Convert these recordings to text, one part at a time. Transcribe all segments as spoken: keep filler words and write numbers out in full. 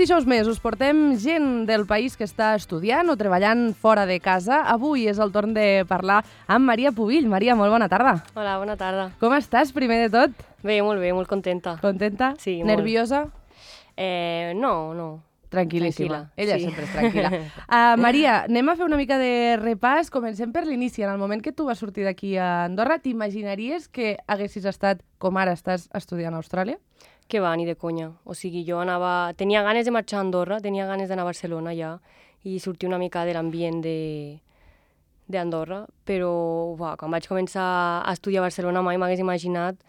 dijous més us portem gent del país que està estudiant o treballant fora de casa. Avui és el torn de parlar amb Maria Pubill. Maria, molt bona tarda. Hola, bona tarda. Com estàs, primer de tot? Bé, molt bé, molt contenta. Contenta? Sí, molt. Nerviosa? Eh, no, no. Tranquil·líssima. Tranquil·la, Ella sí. sempre és tranquil·la. Uh, Maria, anem a fer una mica de repàs. Comencem per l'inici. En el moment que tu vas sortir d'aquí a Andorra, t'imaginaries que haguessis estat com ara estàs estudiant a Austràlia? Que va, ni de conya. O sigui, jo anava... Tenia ganes de marxar a Andorra, tenia ganes d'anar a Barcelona ja i sortir una mica de l'ambient de d'Andorra, però va, quan vaig començar a estudiar a Barcelona mai m'hagués imaginat...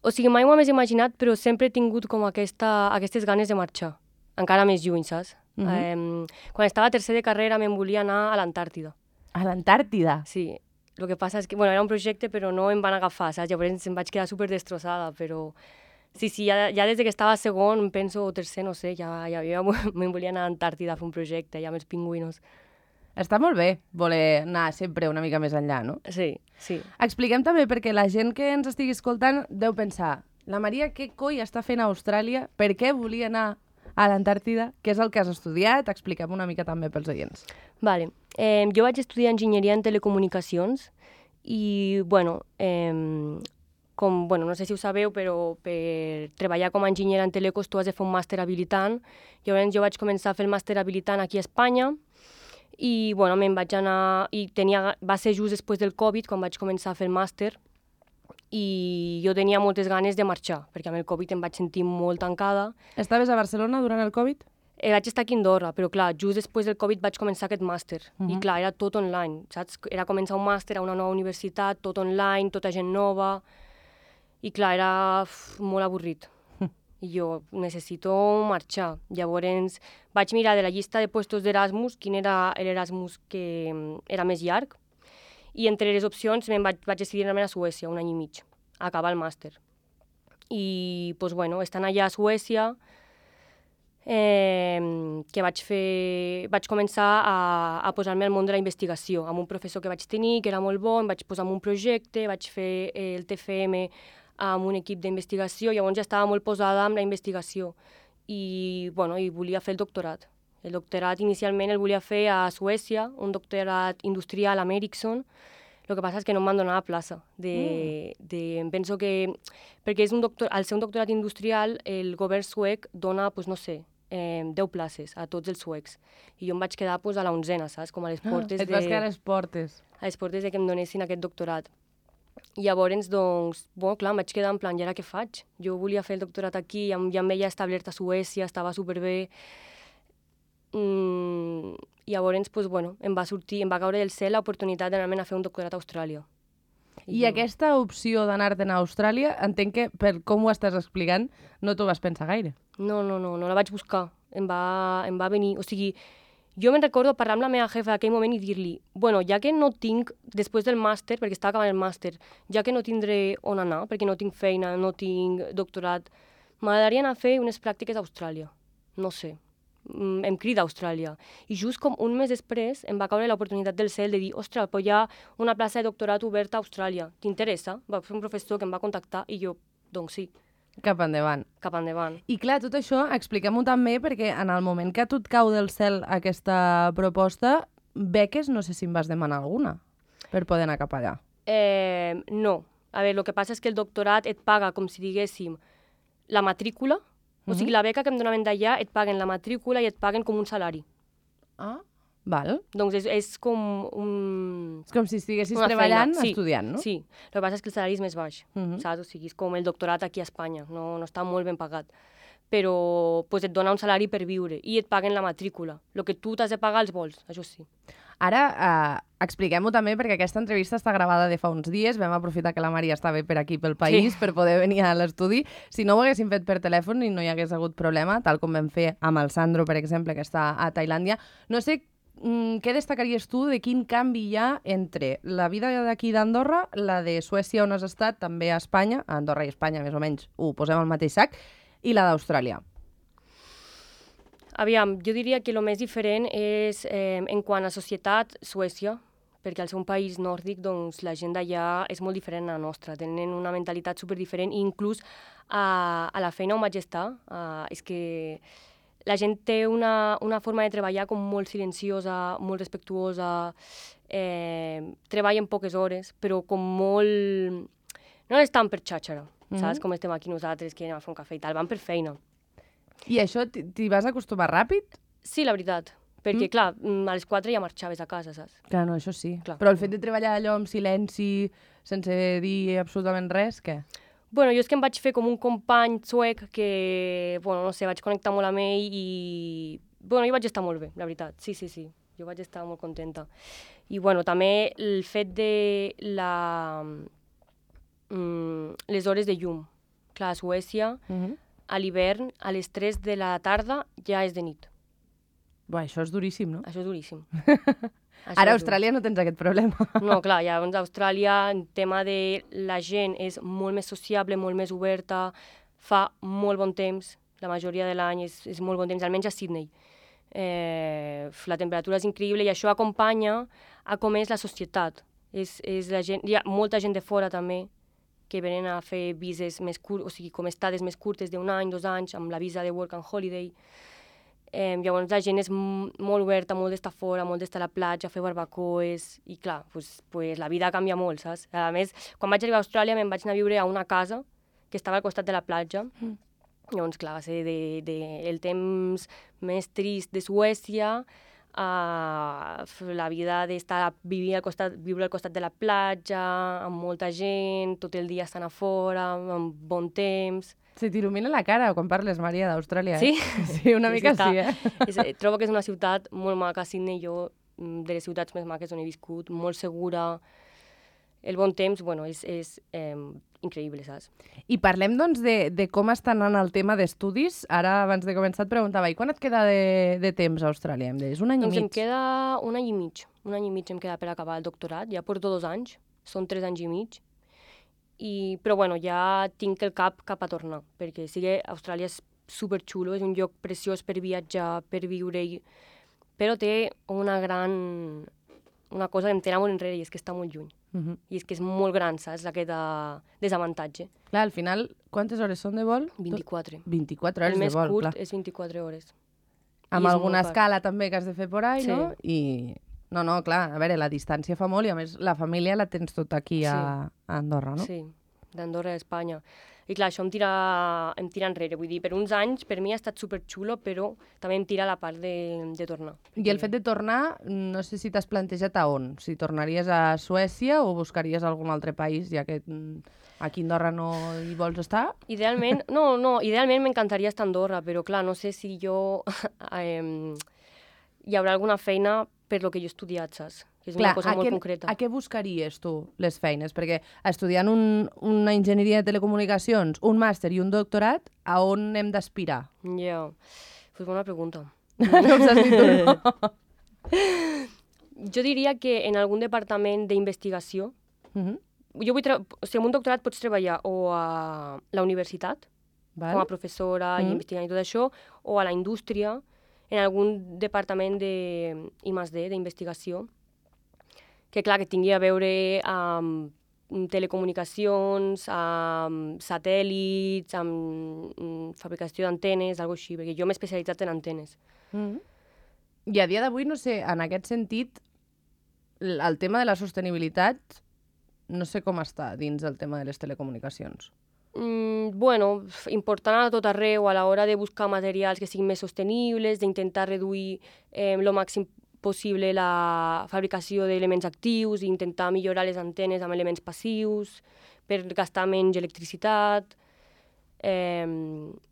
O sigui, mai m'ho hagués imaginat, però sempre he tingut com aquesta, aquestes ganes de marxar. Encara més lluny, saps? Uh-huh. eh, quan estava a tercer de carrera me'n volia anar a l'Antàrtida. A l'Antàrtida? Sí. El que passa és que, bueno, era un projecte, però no em van agafar, saps? Llavors em vaig quedar super destrossada, però... Sí, sí, ja, ja des que estava a segon, penso, o tercer, no sé, ja, ja, ja me'n volia anar a l'Antàrtida a fer un projecte, ja amb els pingüinos. Està molt bé voler anar sempre una mica més enllà, no? Sí, sí. Expliquem també, perquè la gent que ens estigui escoltant deu pensar, la Maria què coi està fent a Austràlia? Per què volia anar a l'Antàrtida? Què és el que has estudiat? Expliquem una mica també pels oients. Vale. Eh, jo vaig estudiar enginyeria en telecomunicacions i, bueno, eh, com, bueno, no sé si ho sabeu, però per treballar com a enginyera en telecos tu has de fer un màster habilitant. Llavors jo vaig començar a fer el màster habilitant aquí a Espanya i, bueno, me'n vaig anar... I tenia, va ser just després del Covid quan vaig començar a fer el màster i jo tenia moltes ganes de marxar, perquè amb el Covid em vaig sentir molt tancada. Estaves a Barcelona durant el Covid? Eh, vaig estar aquí a Andorra, però clar, just després del Covid vaig començar aquest màster. Uh-huh. I clar, era tot online, saps? Era començar un màster a una nova universitat, tot online, tota gent nova. I clar, era uf, molt avorrit. Uh-huh. I jo necessito marxar. Llavors vaig mirar de la llista de puestos d'Erasmus quin era l'Erasmus que era més llarg. I entre les opcions me'n vaig, vaig decidir anar a Suècia un any i mig, a acabar el màster. I, doncs, bueno, estant allà a Suècia, eh, que vaig fer... Vaig començar a, a posar-me al món de la investigació, amb un professor que vaig tenir, que era molt bo, em vaig posar en un projecte, vaig fer el T F M amb un equip d'investigació, llavors ja estava molt posada amb la investigació. I, bueno, i volia fer el doctorat. El doctorat inicialment el volia fer a Suècia, un doctorat industrial a Ericsson. El que passa és que no em van donar la plaça. De, mm. de, em penso que... Perquè és un doctor, al ser un doctorat industrial, el govern suec dona, pues, no sé, eh, deu places a tots els suecs. I jo em vaig quedar pues, a la onzena, saps? Com a les portes ah, et vas de... quedar a les portes. A les portes de que em donessin aquest doctorat. I llavors, doncs, bueno, clar, em vaig quedar en plan, i ara què faig? Jo volia fer el doctorat aquí, ja, ja em veia establert a Suècia, estava superbé. Mm, i llavors, pues, bueno, em va sortir, em va caure del cel l'oportunitat d'anar-me'n a fer un doctorat a Austràlia. I, I jo... aquesta opció d'anar-te'n a Austràlia, entenc que, per com ho estàs explicant, no t'ho vas pensar gaire. No, no, no, no la vaig buscar. Em va, em va venir... O sigui, jo me'n recordo parlar amb la meva jefa d'aquell moment i dir-li, bueno, ja que no tinc, després del màster, perquè estava acabant el màster, ja que no tindré on anar, perquè no tinc feina, no tinc doctorat, m'agradaria anar a fer unes pràctiques a Austràlia. No sé. Em crida a Austràlia. I just com un mes després em va caure l'oportunitat del cel de dir, ostres, però hi ha una plaça de doctorat oberta a Austràlia. T'interessa? Va ser un professor que em va contactar i jo, doncs sí. Cap endavant. Cap endavant. I clar, tot això, expliquem-ho també, perquè en el moment que a tu et cau del cel aquesta proposta, beques, no sé si em vas demanar alguna per poder anar cap allà. Eh, no. A veure, el que passa és que el doctorat et paga, com si diguéssim, la matrícula. O sigui, la beca que em donaven d'allà et paguen la matrícula i et paguen com un salari. Ah, val. Doncs és, és com un... És com si estiguessis treballant, sí, estudiant, no? Sí, el que passa és que el salari és més baix, uh-huh. saps? O sigui, és com el doctorat aquí a Espanya, no, no està molt ben pagat. Però pues, et dona un salari per viure i et paguen la matrícula. El que tu t'has de pagar els vols, això sí. Ara, eh, expliquem-ho també, perquè aquesta entrevista està gravada de fa uns dies. Vam aprofitar que la Maria estava per aquí, pel país, sí. per poder venir a l'estudi. Si no ho haguéssim fet per telèfon i no hi hagués hagut problema, tal com vam fer amb el Sandro, per exemple, que està a Tailàndia. No sé mm, què destacaries tu de quin canvi hi ha entre la vida d'aquí d'Andorra, la de Suècia on has estat, també a Espanya, a Andorra i Espanya més o menys ho posem al mateix sac, i la d'Austràlia. Aviam, jo diria que el més diferent és, eh, en quant a societat, Suècia, perquè al ser un país nòrdic, doncs, la gent d'allà és molt diferent a la nostra, tenen una mentalitat superdiferent i inclús a, a la feina on vaig estar, uh, és que la gent té una, una forma de treballar com molt silenciosa, molt respectuosa, eh, treballen poques hores, però com molt... No estan per xàxara, mm-hmm. saps? Com estem aquí nosaltres, que anem a fer un cafè i tal, van per feina. I això t'hi vas acostumar ràpid? Sí, la veritat. Perquè, mm. clar, a les quatre ja marxaves a casa, saps? Clar, no, això sí. Clar. Però el fet de treballar allò amb silenci, sense dir absolutament res, què? Bueno, jo és que em vaig fer com un company suec que, bueno, no sé, vaig connectar molt amb ell i... Bueno, jo vaig estar molt bé, la veritat. Sí, sí, sí. Jo vaig estar molt contenta. I, bueno, també el fet de la... Mm, les hores de llum. Clar, a Suècia, mm-hmm. a l'hivern, a les tres de la tarda ja és de nit. Bé, això és duríssim, no? Això és duríssim. Això Ara a Austràlia no tens aquest problema. No, clar, llavors a Austràlia el tema de la gent és molt més sociable, molt més oberta, fa molt bon temps, la majoria de l'any és, és molt bon temps, almenys a Sydney. Eh, la temperatura és increïble i això acompanya a com és la societat. És, és la gent, hi ha molta gent de fora també que venen a fer vises més curtes, o sigui, com estades més curtes d'un any, dos anys, amb la visa de Work and Holiday. Eh, llavors la gent és molt oberta, molt d'estar fora, molt d'estar a la platja, fer barbacoes, i clar, pues, pues, la vida canvia molt, saps? A més, quan vaig arribar a Austràlia me'n vaig anar a viure a una casa que estava al costat de la platja. Mm. Llavors, clar, va ser de, de, el temps més trist de Suècia, a la vida d'estar vivir al costat, viure al costat de la platja, amb molta gent, tot el dia estant a fora, amb bon temps. Se t'il·lumina la cara quan parles, Maria, d'Austràlia, eh? Sí? Sí, una mica sí, eh? És, trobo que és una ciutat molt maca, Sydney, jo, de les ciutats més maques on he viscut, molt segura. El bon temps, bueno, és, és eh, increïble, saps? I parlem, doncs, de, de com està anant el tema d'estudis. Ara, abans de començar, et preguntava, i quan et queda de, de temps a Austràlia? Em deies, un any doncs i mig? Doncs em queda un any i mig. Un any i mig em queda per acabar el doctorat. Ja porto dos anys, són tres anys i mig. I, però, bueno, ja tinc el cap cap a tornar, perquè sí que Austràlia és superxulo, és un lloc preciós per viatjar, per viure-hi, però té una gran... una cosa que em tira molt enrere i és que està molt lluny. Uh-huh. I és que és molt gran, saps, aquest desavantatge. Clar, al final, quantes hores són de vol? vint-i-quatre. vint-i-quatre hores de vol, clar. El més curt és vint-i-quatre hores. Amb alguna escala també que has de fer por ahí, sí. No? I... No, no, clar, a veure, la distància fa molt i a més la família la tens tot aquí a, sí. a Andorra, no? Sí, d'Andorra a Espanya. I clar, això em tira, em tira enrere. Vull dir, per uns anys per mi ha estat superxulo, però també em tira la part de, de tornar. I el fet de tornar, no sé si t'has plantejat a on? Si tornaries a Suècia o buscaries algun altre país, ja que aquí a Andorra no hi vols estar? Idealment, no, no, idealment m'encantaria estar a Andorra, però clar, no sé si jo... eh, hi haurà alguna feina per lo que jo he estudiat, saps? Que és clar, una cosa molt què, concreta. A què buscaries tu les feines? Perquè estudiant un, una enginyeria de telecomunicacions, un màster i un doctorat, a on hem d'aspirar? Ja, yeah. Pues bona pregunta. No ho saps ni tu, no? Jo diria que en algun departament d'investigació, uh-huh. jo vull o sigui, amb un doctorat pots treballar o a la universitat, Val. com a professora uh-huh. i investigant i tot això, o a la indústria, en algun departament de I més D, d'investigació, que clar, que tingui a veure amb telecomunicacions, amb satèl·lits, amb fabricació d'antenes, alguna cosa així, perquè jo m'he especialitzat en antenes. Mm-hmm. I a dia d'avui, no sé, en aquest sentit, el tema de la sostenibilitat, no sé com està dins del tema de les telecomunicacions. Mm, bueno, important a tot arreu, a l'hora de buscar materials que siguin més sostenibles, d'intentar reduir eh, lo màxim possible la fabricació d'elements actius i intentar millorar les antenes amb elements passius per gastar menys electricitat. Eh,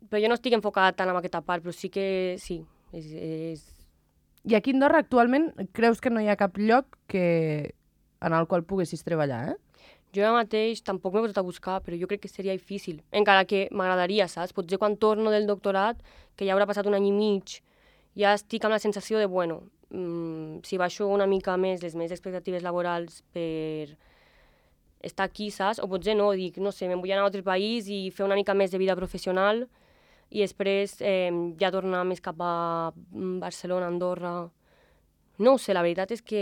però jo no estic enfocat tant en aquesta part, però sí que sí. És, és... I aquí a Andorra actualment creus que no hi ha cap lloc que... en el qual poguessis treballar, eh? Jo ara mateix tampoc m'he posat a buscar, però jo crec que seria difícil. Encara que m'agradaria, saps? Potser quan torno del doctorat, que ja haurà passat un any i mig, ja estic amb la sensació de, bueno, si baixo una mica més les meves expectatives laborals per estar aquí, saps? O potser no, dic, no sé, me'n vull anar a un altre país i fer una mica més de vida professional i després eh, ja tornar més cap a Barcelona, Andorra... No ho sé, la veritat és que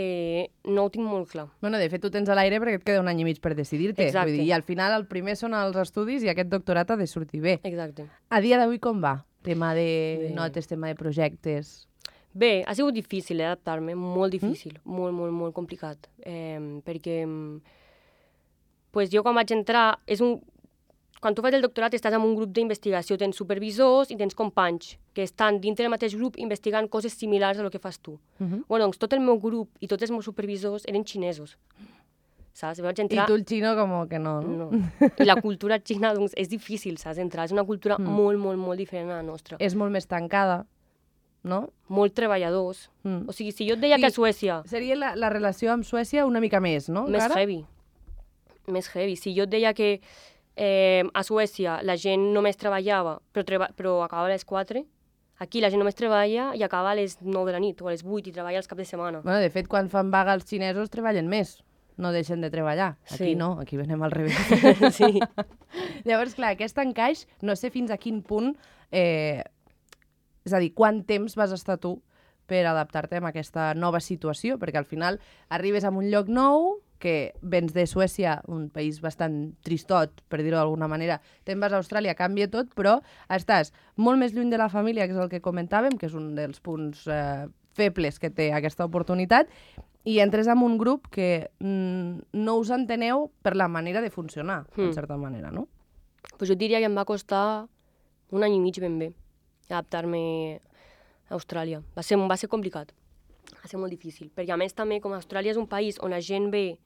no ho tinc molt clar. Bueno, de fet, tu tens a l'aire perquè et queda un any i mig per decidir-te. Exacte. Vull dir, i al final el primer són els estudis i aquest doctorat ha de sortir bé. Exacte. A dia d'avui com va? Tema de Bé. notes, tema de projectes... Bé, ha sigut difícil eh, adaptar-me, molt difícil, mm? molt, molt, molt complicat, eh, perquè pues, jo quan vaig entrar, és un... quan tu fas el doctorat estàs en un grup d'investigació, tens supervisors i tens companys que estan dintre del mateix grup investigant coses similars a lo que fas tu. Uh -huh. Bueno, doncs tot el meu grup i tots els meus supervisors eren xinesos, saps? Vaig entrar... I tu el xino com que no, no? no. I la cultura xina doncs, és difícil, saps? Entrar. És una cultura mm. molt, molt, molt diferent a la nostra. És molt més tancada, no? Molt treballadors. Mm. O sigui, si jo et deia sí, que a Suècia... Seria la, la relació amb Suècia una mica més, no? Més encara? heavy. Més heavy. Si jo et deia que eh, a Suècia la gent només treballava, però, treba, però acabava a les quatre, aquí la gent només treballa i acaba a les nou de la nit o a les vuit i treballa els caps de setmana. Bueno, de fet, quan fan vaga els xinesos treballen més. No deixen de treballar. Aquí sí. no, aquí venem al revés. sí. Llavors, clar, aquest encaix, no sé fins a quin punt... Eh, és a dir, quant temps vas estar tu per adaptar-te a aquesta nova situació? Perquè al final arribes a un lloc nou, que vens de Suècia, un país bastant tristot, per dir-ho d'alguna manera, te'n vas a Austràlia, canvia tot, però estàs molt més lluny de la família, que és el que comentàvem, que és un dels punts eh, febles que té aquesta oportunitat, i entres en un grup que mm, no us enteneu per la manera de funcionar, mm. en certa manera, no? Pues jo diria que em va costar un any i mig ben bé adaptar-me a Austràlia. Va ser, va ser complicat, va ser molt difícil, perquè a més també com Austràlia és un país on la gent ve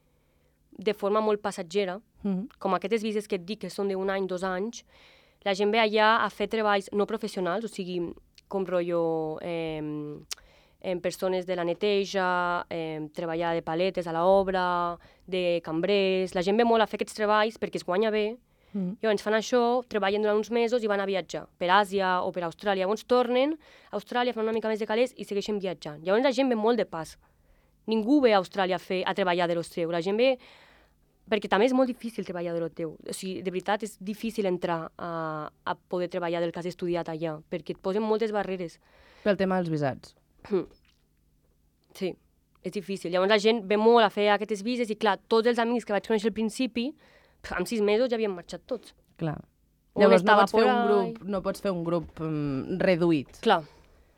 de forma molt passatgera, mm-hmm. com aquestes vises que et dic que són d'un any, dos anys, la gent ve allà a fer treballs no professionals, o sigui, com rotllo eh, en persones de la neteja, eh, treballar de paletes a l'obra, de cambrers... La gent ve molt a fer aquests treballs perquè es guanya bé. Mm. Llavors fan això, treballen durant uns mesos i van a viatjar per Àsia o per Austràlia. Llavors tornen a Austràlia, fan una mica més de calés i segueixen viatjant. Llavors la gent ve molt de pas. Ningú ve a Austràlia a, fer, a treballar de lo seu. La gent ve... Perquè també és molt difícil treballar de lo teu. O sigui, de veritat, és difícil entrar a, a poder treballar del que has estudiat allà, perquè et posen moltes barreres. Pel tema dels visats. Sí, és difícil. Llavors la gent ve molt a fer aquestes vises i, clar, tots els amics que vaig conèixer al principi, en sis mesos ja havien marxat tots. Clar. Llavors no pots, fer un grup, no pots fer un grup um, reduït. Clar.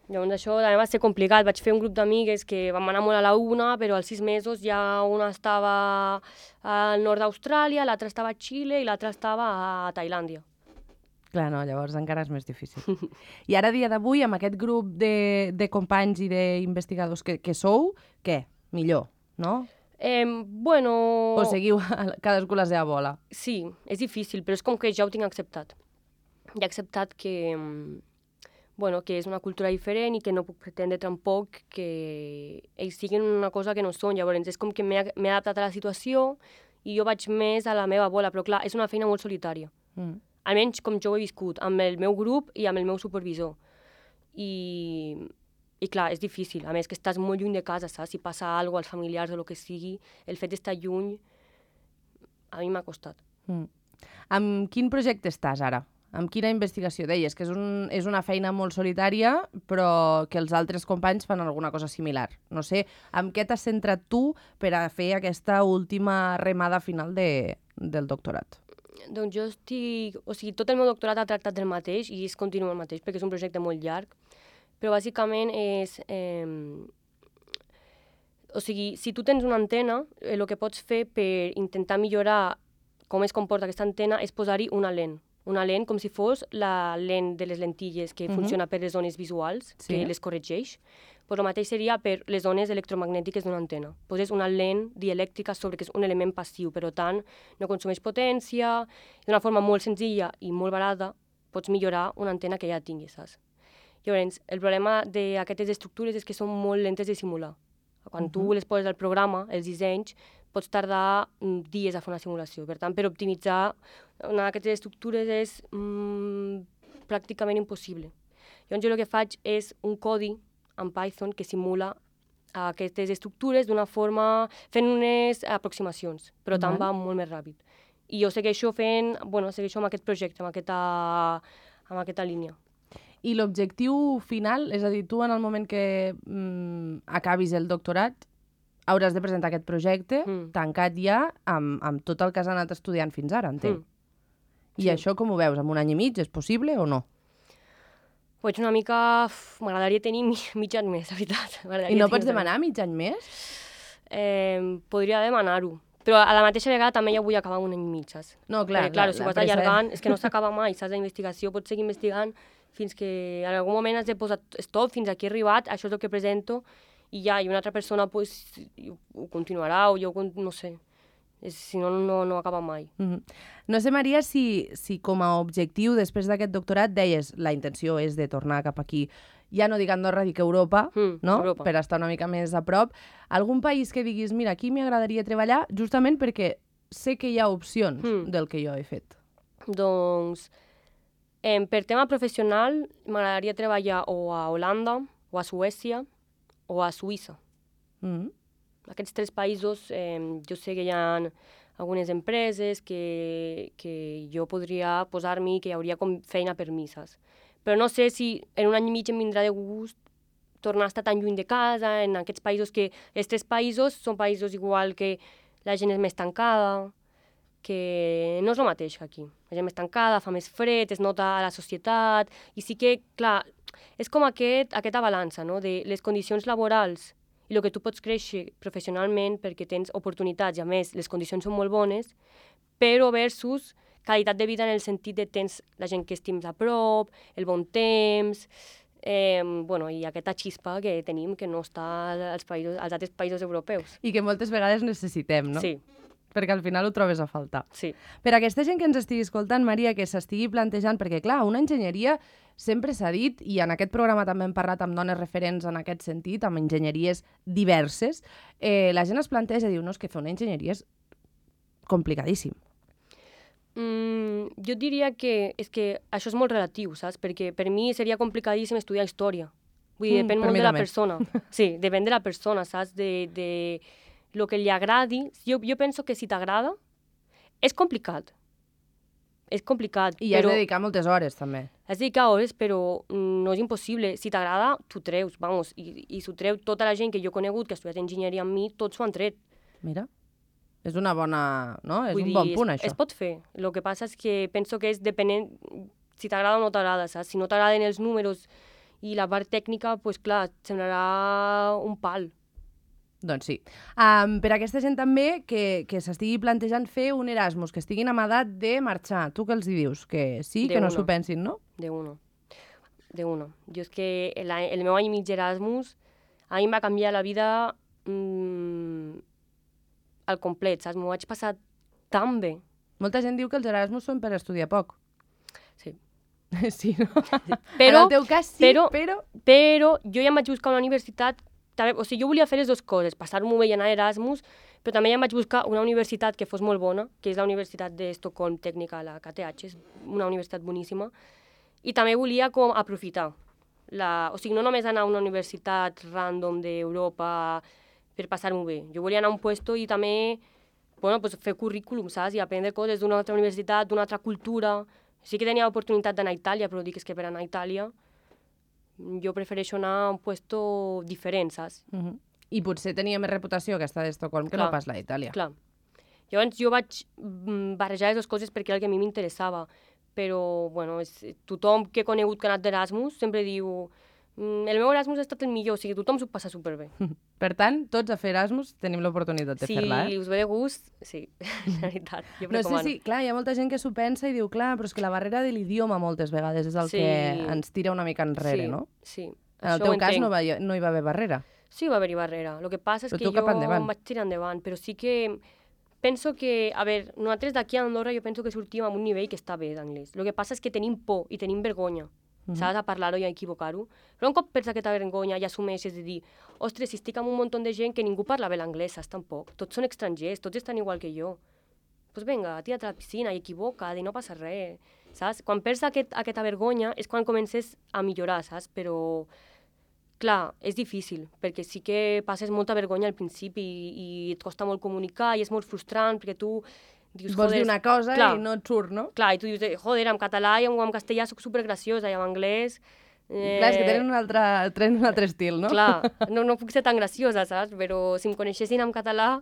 Llavors això també va ser complicat. Vaig fer un grup d'amigues que vam anar molt a la una, però als sis mesos ja una estava al nord d'Austràlia, l'altra estava a Xile i l'altra estava a Tailàndia. Clar, no, llavors encara és més difícil. I ara, a dia d'avui, amb aquest grup de, de companys i d'investigadors que, que sou, què? Millor, no? Eh, bueno... O seguiu cadascú la seva bola? Sí, és difícil, però és com que ja ho tinc acceptat. Ja he acceptat que, bueno, que és una cultura diferent i que no puc pretendre tampoc que ells siguin una cosa que no són. Llavors és com que m'he adaptat a la situació i jo vaig més a la meva bola, però clar, és una feina molt solitària. Mm. Almenys com jo ho he viscut, amb el meu grup i amb el meu supervisor. I, i clar, és difícil. A més que estàs molt lluny de casa, saps? Si passa alguna cosa als familiars o el que sigui, el fet d'estar lluny a mi m'ha costat. Mm. Amb quin projecte estàs ara? Amb quina investigació? Deies que és, un, és una feina molt solitària, però que els altres companys fan alguna cosa similar. No sé, amb què t'has centrat tu per a fer aquesta última remada final de, del doctorat? Doncs jo estic... O sigui, tot el meu doctorat ha tractat del mateix i es continua el mateix, perquè és un projecte molt llarg, però bàsicament és... Eh... O sigui, si tu tens una antena, eh, el que pots fer per intentar millorar com es comporta aquesta antena és posar-hi una lent. Una lent com si fos la lent de les lentilles que uh-huh. funciona per les zones visuals, sí. que les corregeix. Però el mateix seria per les zones electromagnètiques d'una antena. Poses una lent dielèctrica sobre que és un element passiu, però tant no consumeix potència, d'una forma molt senzilla i molt barata pots millorar una antena que ja tinguis, saps? Llavors, el problema d'aquestes estructures és que són molt lentes de simular. Quan uh-huh. tu les poses al programa, els dissenys, pots tardar dies a fer una simulació. Per tant, per optimitzar una d'aquestes estructures és mm, pràcticament impossible. Llavors, jo el que faig és un codi en Python que simula aquestes estructures d'una forma, fent unes aproximacions, però tant va molt més ràpid. I jo segueixo fent, bueno, segueixo amb aquest projecte, amb aquesta, amb aquesta línia. I l'objectiu final, és a dir, tu en el moment que mm, acabis el doctorat, hauràs de presentar aquest projecte mm. tancat ja amb, amb tot el que has anat estudiant fins ara, entenc. Mm. I sí. Això com ho veus? En un any i mig és possible o no? Pues una mica... M'agradaria tenir mig any més, la veritat. I no pots demanar mig any més? Eh, podria demanar-ho. Però a la mateixa vegada també ja vull acabar un any i mig, saps? No, clar. Perquè, clar, si ho vas allargant, és que no s'acaba mai, saps? La investigació pots seguir investigant fins que en algun moment has de posar stop, fins aquí he arribat, això és el que presento, i ja, i una altra persona pues, ho continuarà, o jo, no sé. Si no, no, no acaba mai. Mm-hmm. No sé, Maria, si, si com a objectiu, després d'aquest doctorat, deies la intenció és de tornar cap aquí, ja no dic Andorra, dic Europa, mm, no? Europa, per estar una mica més a prop. Algun país que diguis, mira, aquí m'agradaria treballar, justament perquè sé que hi ha opcions mm. del que jo he fet. Doncs, eh, per tema professional, m'agradaria treballar o a Holanda, o a Suècia, o a Suïssa. Mm. Aquests tres països, eh, jo sé que hi ha algunes empreses que, que jo podria posar-m'hi, que hi hauria com feina per mi, saps? Però no sé si en un any i mig em vindrà de gust tornar a estar tan lluny de casa, en aquests països que... Els tres països són països igual que la gent és més tancada, que no és el mateix que aquí. La gent més tancada, fa més fred, es nota a la societat, i sí que, clar, és com aquest, aquesta balança, no?, de les condicions laborals i el que tu pots créixer professionalment perquè tens oportunitats i, a més, les condicions són molt bones, però versus qualitat de vida en el sentit de tens la gent que estims a prop, el bon temps, eh, bueno, i aquesta xispa que tenim que no està als, països, als altres països europeus. I que moltes vegades necessitem, no? Sí. Perquè al final ho trobes a faltar. Sí. Per a aquesta gent que ens estigui escoltant, Maria, que s'estigui plantejant, perquè clar, una enginyeria sempre s'ha dit, i en aquest programa també hem parlat amb dones referents en aquest sentit, amb enginyeries diverses, eh, la gent es planteja i diu, no, és que fer una enginyeria és complicadíssim. Mm, jo diria que, és que això és molt relatiu, saps? Perquè per mi seria complicadíssim estudiar història. Vull dir, depèn mm, molt de la també. persona. Sí, depèn de la persona, saps? De, de lo que li agradi. Jo, jo penso que si t'agrada, és complicat. És complicat, I però... has de dedicar moltes hores, també. Has de dedicar hores, però no és impossible. Si t'agrada, t'ho treus, vamos. I, i s'ho treu tota la gent que jo he conegut, que ha estudiat enginyeria amb mi, tots s'ho han tret. Mira. És una bona... no? És Vull un dir, bon punt, es, això. Es pot fer. El que passa és que penso que és depenent si t'agrada o no t'agrada, saps? Si no t'agraden els números i la part tècnica, doncs pues, clar, semblarà un pal. Doncs sí. Um, per a aquesta gent també que, que s'estigui plantejant fer un Erasmus, que estiguin amb edat de marxar. Tu què els hi dius? Que sí, de que no uno. s'ho pensin, no? De uno. De uno. Jo és que el, el meu any i mig Erasmus a mi em va canviar la vida mmm, al complet, saps? M'ho vaig passar tan bé. Molta gent diu que els Erasmus són per estudiar poc. Sí. Sí, no? Però, en el teu cas sí, però, però... Però jo ja em vaig buscar una universitat... També, o sigui, jo volia fer les dues coses, passar-m'ho bé i anar a Erasmus, però també ja em vaig buscar una universitat que fos molt bona, que és la Universitat d'Estocolm Tècnica, la K T H, és una universitat boníssima, i també volia com aprofitar. La... O sigui, no només anar a una universitat random d'Europa per passar-m'ho bé. Jo volia anar a un puesto i també bueno, pues fer currículum, saps? I aprendre coses d'una altra universitat, d'una altra cultura. Sí que tenia l'oportunitat d'anar a Itàlia, però dic que per anar a Itàlia jo prefereixo anar a un puesto diferent, saps? Uh-huh. I potser tenia més reputació aquesta d'Estocolm que clar, no pas la d'Itàlia. Clar. Llavors jo vaig barrejar les dues coses perquè era el que a mi m'interessava. Però, bueno, és, tothom que he conegut que ha anat d'Erasmus sempre diu el meu Erasmus ha estat el millor, o sigui, tothom s'ho passa superbé. Per tant, tots a fer Erasmus tenim l'oportunitat de sí, fer-la, eh? Si us ve de gust, sí, la veritat, jo no recomano. sé si, clar, hi ha molta gent que s'ho pensa i diu, clar, però és que la barrera de l'idioma moltes vegades és el sí. que ens tira una mica enrere, sí, no? Sí, en el teu cas no, va, no hi va haver barrera. Sí, va haver-hi barrera. El que passa és però que jo endavant. em vaig tirar endavant, però sí que penso que, a veure, nosaltres d'aquí a Andorra jo penso que sortim amb un nivell que està bé d'anglès. El que passa és que tenim por i tenim vergonya. Mm-hmm. Saps? A parlar-ho i a equivocar-ho. Però un cop perds aquesta vergonya i assumeixes de dir ostres, si estic amb un munt de gent que ningú parla bé l'anglès, saps tampoc? Tots són estrangers, tots estan igual que jo. Doncs pues vinga, tira't a la piscina i equivoca't i no passa res, saps? Quan perds aquest, aquesta vergonya és quan comences a millorar, saps? Però, clar, és difícil, perquè sí que passes molta vergonya al principi i, i et costa molt comunicar i és molt frustrant perquè tu dius, vols dir una cosa clar, i no et surt, no? Clar, i tu dius, joder, en català i en, en castellà soc supergraciosa i en anglès... Eh... Clar, és que tenen un altre, tenen un altre estil, no? Clar, no, no puc ser tan graciosa, saps? Però si em coneixessin en català...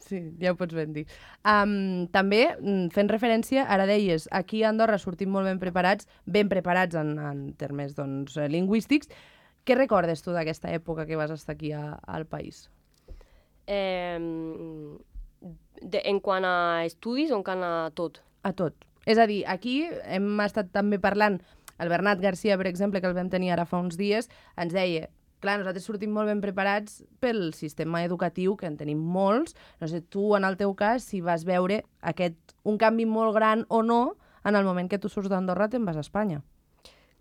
Sí, ja ho pots ben dir. Um, també, fent referència, ara deies, aquí a Andorra sortim molt ben preparats, ben preparats en, en termes doncs, lingüístics. Què recordes tu d'aquesta època que vas estar aquí a, al país? Eh, de, en quant a estudis o en quant a tot? A tot. És a dir, aquí hem estat també parlant, el Bernat Garcia, per exemple, que el vam tenir ara fa uns dies, ens deia... Clar, nosaltres sortim molt ben preparats pel sistema educatiu, que en tenim molts. No sé, tu, en el teu cas, si vas veure aquest, un canvi molt gran o no en el moment que tu surts d'Andorra te'n vas a Espanya.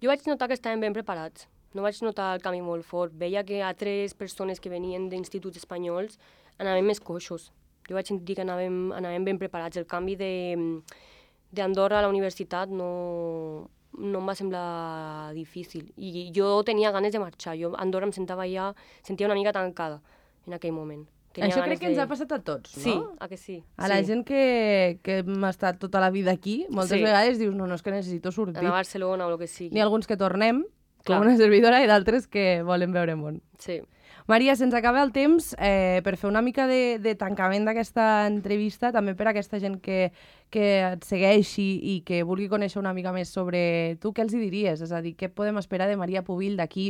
Jo vaig notar que estàvem ben preparats. No vaig notar el canvi molt fort. Veia que altres persones que venien d'instituts espanyols anaven més coixos. Jo vaig sentir que anàvem, anàvem ben preparats. El canvi d'Andorra a la universitat no... no em va semblar difícil. I jo tenia ganes de marxar. Jo a Andorra em sentava ja, sentia una mica tancada en aquell moment. Tenia Això crec que de... ens ha passat a tots, no? Sí, a que sí. A la sí. gent que, que hem estat tota la vida aquí, moltes sí. vegades dius, no, no, és que necessito sortir. Anar a Barcelona o el que sigui. N'hi ha alguns que tornem, Clar. com una servidora, i d'altres que volen veure món. Sí. Maria, se'ns acaba el temps eh, per fer una mica de, de tancament d'aquesta entrevista, també per a aquesta gent que, que et segueixi i que vulgui conèixer una mica més sobre tu, què els hi diries? És a dir, què podem esperar de Maria Pubill d'aquí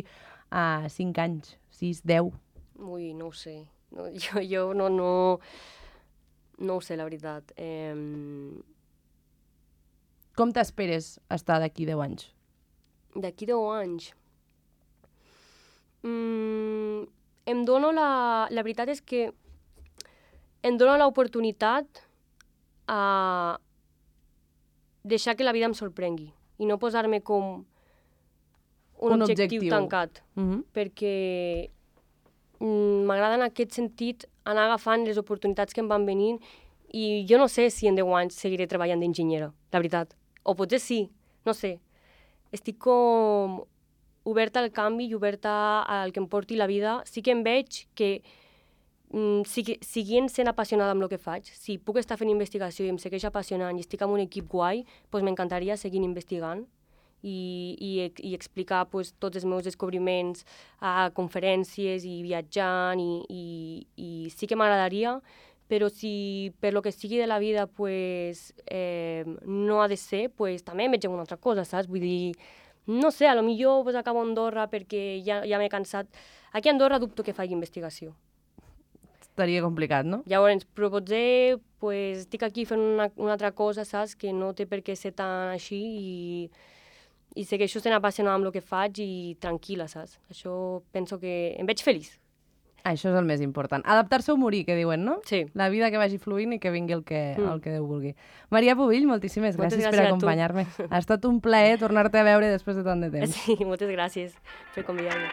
a cinc anys, sis, deu? Ui, no ho sé. No, jo jo no, no, no ho sé, la veritat. Eh... Com t'esperes estar d'aquí deu anys? D'aquí deu anys? Mm... Em dono la... La veritat és que em dono l'oportunitat a deixar que la vida em sorprengui i no posar-me com un, un objectiu, objectiu tancat. Uh-huh. Perquè mm, m'agrada en aquest sentit anar agafant les oportunitats que em van venint i jo no sé si en deu anys seguiré treballant d'enginyera, la veritat. O potser sí, no sé. Estic com... oberta al canvi i oberta al que em porti la vida. Sí que em veig que, mm, sigui, siguent sent apassionada amb el que faig, si puc estar fent investigació i em segueix apassionant i estic amb un equip guai, doncs m'encantaria seguir investigant i, i, i explicar pues, tots els meus descobriments a conferències i viatjant i, i, i sí que m'agradaria, però si per lo que sigui de la vida pues, eh, no ha de ser, pues, també em veig en una altra cosa, saps? Vull dir, no sé, a lo millor pues, acabo a Andorra perquè ja, ja m'he cansat. Aquí a Andorra dubto que faci investigació. Estaria complicat, no? Llavors, però potser pues, estic aquí fent una, una altra cosa, saps? Que no té per què ser tan així i, i segueixo sent apassionada amb el que faig i tranquil·la, saps? Això penso que em veig feliç. Això és el més important. Adaptar-se o morir, que diuen, no? Sí. La vida que vagi fluint i que vingui el que, mm. el que Déu vulgui. Maria Pubill, moltíssimes moltes gràcies, gràcies per acompanyar-me. Ha estat un plaer tornar-te a veure després de tant de temps. Sí, moltes gràcies per convidar-me.